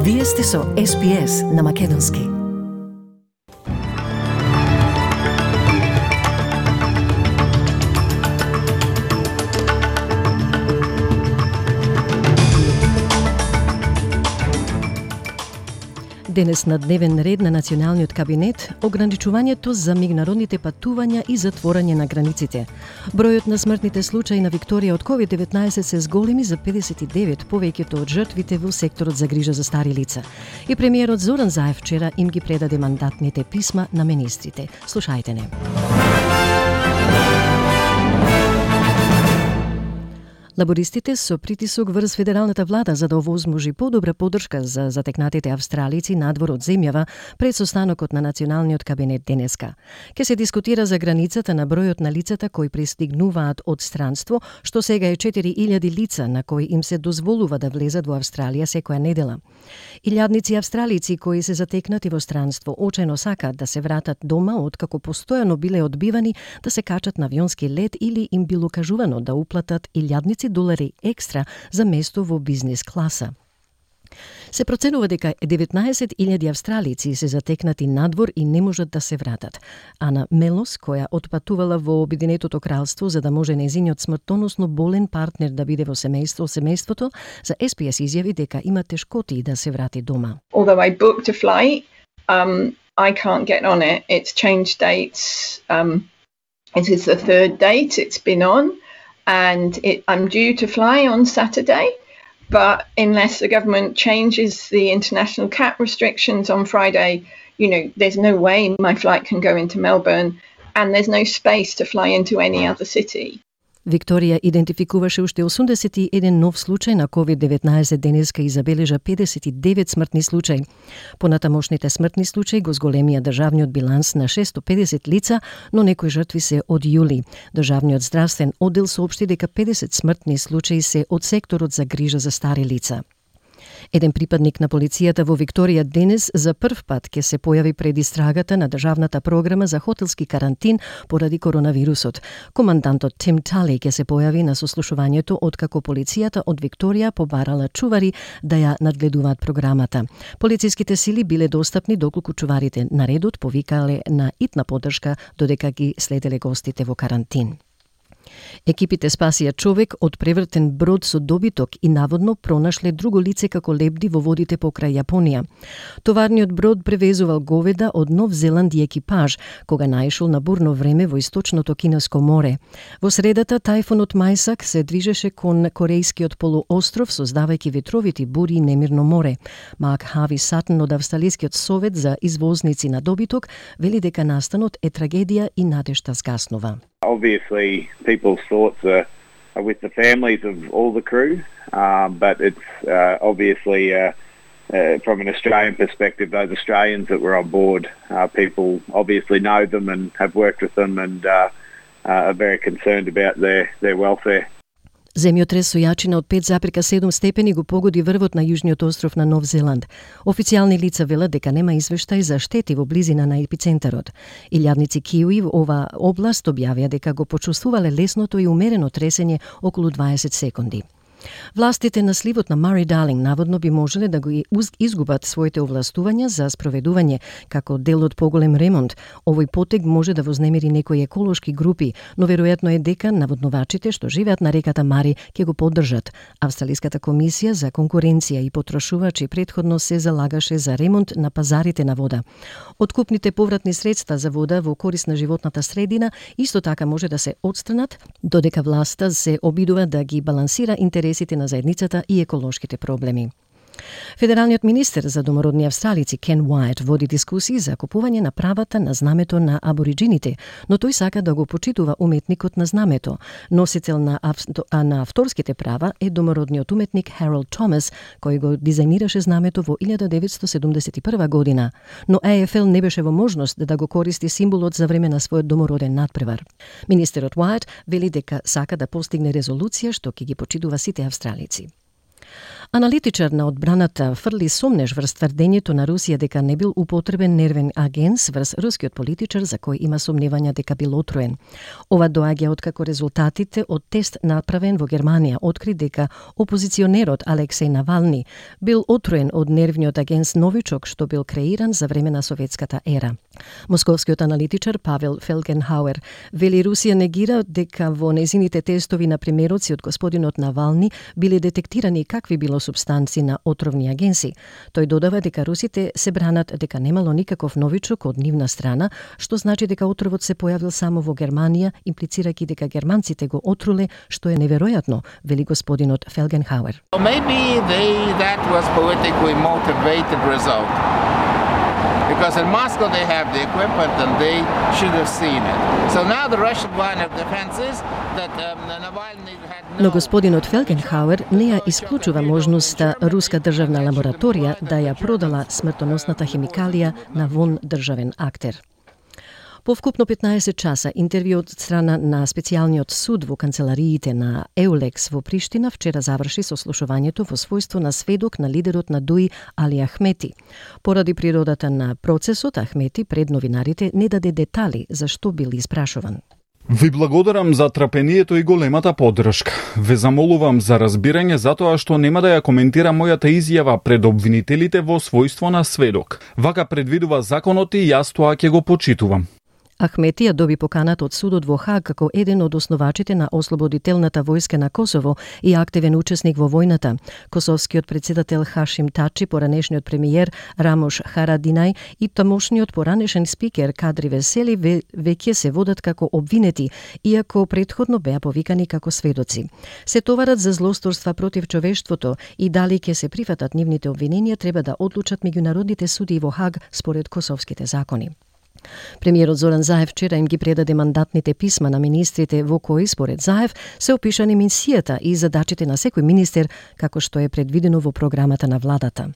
Вие сте со SPS на Македонски. Денес на дневен ред на Националниот кабинет ограничувањето за меѓународните патувања и затворање на границите. Бројот на смртните случаи на Викторија од COVID-19 се зголеми за 59, повеќето од жртвите во секторот за грижа за стари лица. И премиерот Зоран Заев вчера им ги предаде мандатните писма на министрите. Слушајте не. Лабористите со притисок врз федералната влада за да овозможи подобра поддршка за затекнатите австралици надвор од земјава пред состанокот на Националниот кабинет денеска. Ке се дискутира за границата на бројот на лицата кои пристигнуваат од странство, што сега е 4000 лица на кои им се дозволува да влезат во Австралија секоја недела. Илјадници австралици кои се затекнати во странство очајно сакаат да се вратат дома откако постојано биле одбивани да се качат на авионски лет или им било кажувано да уплатат илјадници долари екстра за место во бизнес класа. Се проценува дека 19.000 австралици се затекнати надвор и не можат да се вратат. Ана Мелос, која отпатувала во Обединетото кралство за да може нејзиниот смртоносно болен партнер да биде во семејството, за SPS изјави дека има тешкоти да се врати дома. Although I booked a flight, I can't get on it. It's changed dates. It is the third date it's been on. And I'm due to fly on Saturday, but unless the government changes the international cap restrictions on Friday, there's no way my flight can go into Melbourne, and there's no space to fly into any other city. Викторија идентификуваше уште 81 нов случај на COVID-19 денеска и забележа 59 смртни случаи. Понатамошните смртни случаи го зголемија државниот биланс на 650 лица, но некои жртви се од јули. Државниот здравствен оддел соопшти дека 50 смртни случаи се од секторот за грижа за стари лица. Еден припадник на полицијата во Викторија денес за прв пат ќе се појави пред истрагата на државната програма за хотелски карантин поради коронавирусот. Командантот Тим Тали ќе се појави на сослушувањето откако полицијата од Викторија побарала чувари да ја надгледуваат програмата. Полициските сили биле достапни доколку чуварите на редот повикале на итна поддршка додека ги следеле гостите во карантин. Екипите спасија човек од превртен брод со добиток и наводно пронашле друго лице како лебди во водите покрај Јапонија. Товарниот брод превезувал говеда од Нов Зеланд и екипаж, кога наишол на бурно време во источното Кинеско море. Во средата тајфунот Мајсак се движеше кон Корејскиот полуостров, создавајќи ветровити бури и немирно море. Мак Хави Сатн од Австралискиот совет за извозници на добиток вели дека настанот е трагедија и надежта згаснува. Obviously, people's thoughts are with the families of all the crew, but it's obviously, from an Australian perspective, those Australians that were on board, people obviously know them and have worked with them and are very concerned about their welfare. Земјотрес со јачина од 5,7 степени го погоди врвот на јужниот остров на Нов Зеланд. Официјални лица велат дека нема извештај за штети во близина на епицентарот. Илјадници киуи во ова област објавија дека го почувствувале лесното и умерено тресење околу 20 секунди. Властите на сливот на Мари Далинг наводно би можеле да го изгубат своите овластувања за спроведување како дел од поголем ремонт. Овој потег може да вознемири некои еколошки групи, но веројатно е дека наводнувачите што живеат на реката Мари ќе го поддржат. Австралиската комисија за конкуренција и потрошувачи претходно се залагаше за ремонт на пазарите на вода. Откупните повратни средства за вода во корист на животната средина исто така може да се отстранат, додека власта се обидува да ги балансира интересите на заедницата и еколошките проблеми. Федералниот министер за домородни австралици Кен Уајт води дискусии за купување на правата на знамето на абориджините, но тој сака да го почитува уметникот на знамето. Носител на авторските права е домородниот уметник Харолд Томас, кој го дизајнираше знамето во 1971 година, но AFL не беше во можност да го користи символот за време на својот домороден надпревар. Министерот Уајт вели дека сака да постигне резолуција што ќе ги почитува сите австралици. Аналитичар на одбраната фрли сомнеж врз тврдењето на Русија дека не бил употребен нервен агент врз рускиот политичар за кој има сомневања дека бил отруен. Ова доаѓа откако резултатите од тест направен во Германија откри дека опозиционерот Алексеј Навални бил отруен од нервниот агент новичок што бил креиран за време на советската ера. Московскиот аналитичар Павел Фелгенхауер вели Русија негира дека во незините тестови на примероци од господинот Навални биле детектирани какви било субстанци на отровни агенси. Тој додава дека русите се бранат дека немало никаков новичок од нивна страна, што значи дека отровот се појавил само во Германија, имплицирајќи дека германците го отруле, што е неверојатно, вели господинот Фелгенхауер. Maybe that was politically motivated result. Because in Moscow they have the equipment and they should have seen it. So now the Russian line of defense is that Navalny had no... Но господинот Фелгенхауер не ја исклучува можноста руска државна лабораторија да ја продала смртоносната химикалија на вон државен актер. По вкупно 15 часа интервју од страна на специјалниот суд во канцелариите на Еулекс во Приштина вчера заврши сослушувањето во својство на сведок на лидерот на ДУИ Али Ахмети. Поради природата на процесот, Ахмети пред новинарите не даде детали за што бил испрашуван. Ви благодарам за трпението и големата поддршка. Ве замолувам за разбирање затоа што нема да ја коментирам мојата изјава пред обвинителите во својство на сведок. Вака предвидува законот и јас тоа ќе го почитувам. Ахмети ја доби поканата од судот во Хаг како еден од основачите на Ослободителната војска на Косово и активен учесник во војната. Косовскиот председател Хашим Тачи, поранешниот премиер Рамош Харадинај и тамошниот поранешен спикер Кадри Весели веќе се водат како обвинети, иако претходно беа повикани како сведоци. Се товарат за злосторства против човештвото и дали ќе се прифатат нивните обвиненија треба да одлучат меѓународните суди во Хаг според косовските закони. Премиерот Зоран Заев вчера им ги предаде мандатните писма на министрите во кои, според Заев, се опишани мисијата и задачите на секој министер, како што е предвидено во програмата на владата.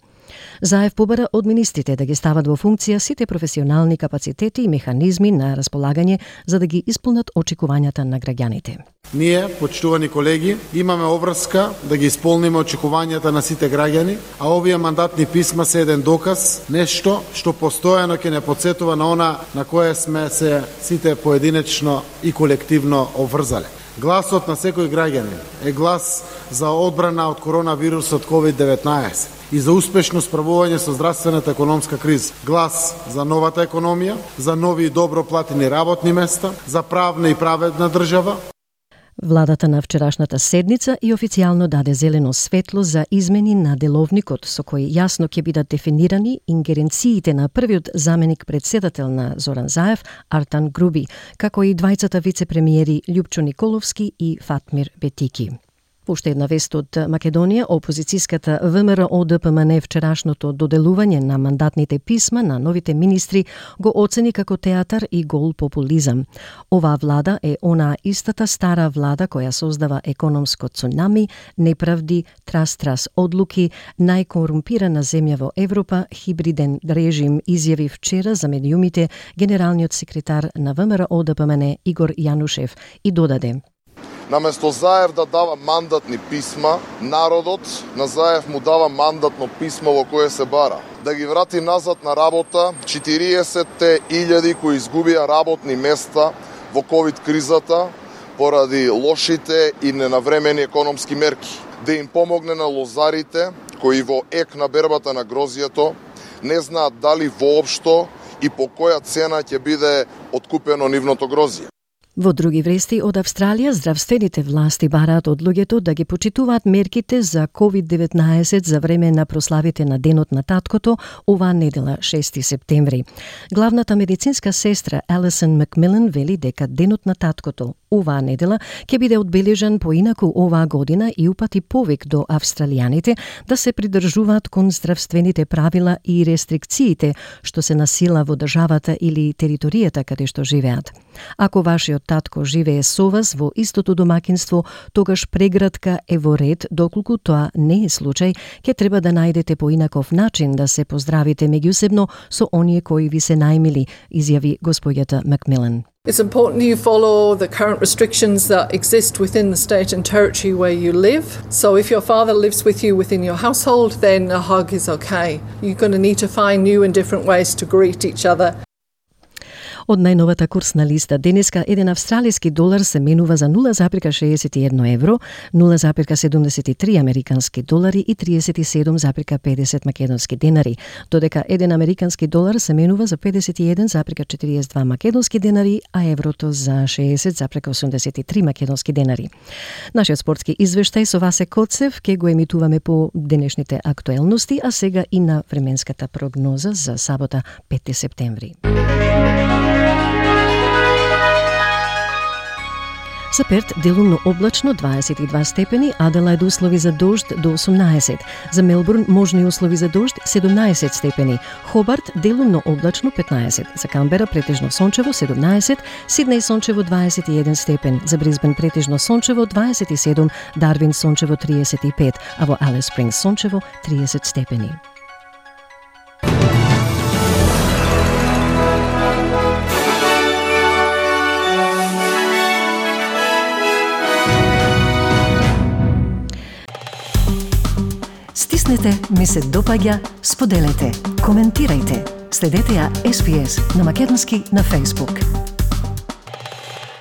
Заев побара од министрите да ги стават во функција сите професионални капацитети и механизми на располагање за да ги исполнат очекувањата на граѓаните. Ние, почитувани колеги, имаме обврска да ги исполниме очекувањата на сите граѓани, а овие мандатни писма се еден доказ, нешто што постојано ќе не потсетува на она на кое сме се сите поединечно и колективно обврзале. Гласот на секој граѓанин е глас за одбрана од коронавирусот COVID-19 и за успешно справување со здравствената економска криза. Глас за новата економија, за нови и добро платени работни места, за правна и праведна држава. Владата на вчерашната седница и официјално даде зелено светло за измени на деловникот со кои јасно ќе бидат дефинирани ингеренциите на првиот заменик председател на Зоран Заев, Артан Груби, како и двајцата вице-премиери Љупчо Николовски и Фатмир Бетики. Уште една вест од Македонија, опозицијската ВМРО-ДПМН вчерашното доделување на мандатните писма на новите министри го оцени како театар и гол популизам. Оваа влада е онаа истата стара влада која создава економско цунами, неправди, трас одлуки, најкорумпирана земја во Европа, хибриден режим, изјави вчера за медиумите генералниот секретар на ВМРО-ДПМН Игор Јанушев и додаде: Наместо Заев да дава мандатни писма, народот на Заев му дава мандатно писмо во кое се бара да ги врати назад на работа 40.000 кои изгубија работни места во ковид кризата поради лошите и ненавремени економски мерки, да им помогне на лозарите кои во ек на бербата на грозјето не знаат дали воопшто и по која цена ќе биде откупено нивното грозје. Во други вести од Австралија, здравствените власти бараат од луѓето да ги почитуваат мерките за COVID-19 за време на прославите на Денот на таткото оваа недела 6 септември. Главната медицинска сестра Алисон Макмилан вели дека Денот на таткото оваа недела ќе биде одбележан поинаку оваа година и упати повик до австралијаните да се придржуваат кон здравствените правила и рестрикциите што се на сила во државата или територијата каде што живеат. Ако вашиот татко живее со вас во истото домаќинство, тогаш прегратка е во ред, доколку тоа не е случај, ќе треба да најдете поинаков начин да се поздравите меѓусебно со оние кои ви се најмили, изјави господјата Макмилан. It's important you follow the current restrictions that exist within the state and territory where you live. So if your father lives with you within your household, then a hug is okay. You're going to need to find new and different ways to greet each other. Од најновата курсна листа, денеска еден австралиски долар се менува за 0,61 евро, 0,73 американски долари и 37,50 македонски денари, додека еден американски долар се менува за 51,42 македонски денари, а еврото за 60,83 македонски денари. Нашиот спортски извештај со Васе Коцев ке го емитуваме по денешните актуелности, а сега и на временската прогноза за сабота 5 септември. За Перт делумно облачно 22 степени, Аделајд услови за дожд до 18. За Мелбурн можни услови за дожд 17 степени. Хобарт делумно облачно 15. За Камбера претежно сончево 17, Сиднеј сончево 21 степен. За Брисбен претежно сончево 27, Дарвин сончево 35, а во Алис Спрингс сончево 30 степени. Стиснете, ми се допаѓа, споделете, коментирајте. Следете ја SPS на македонски на Facebook.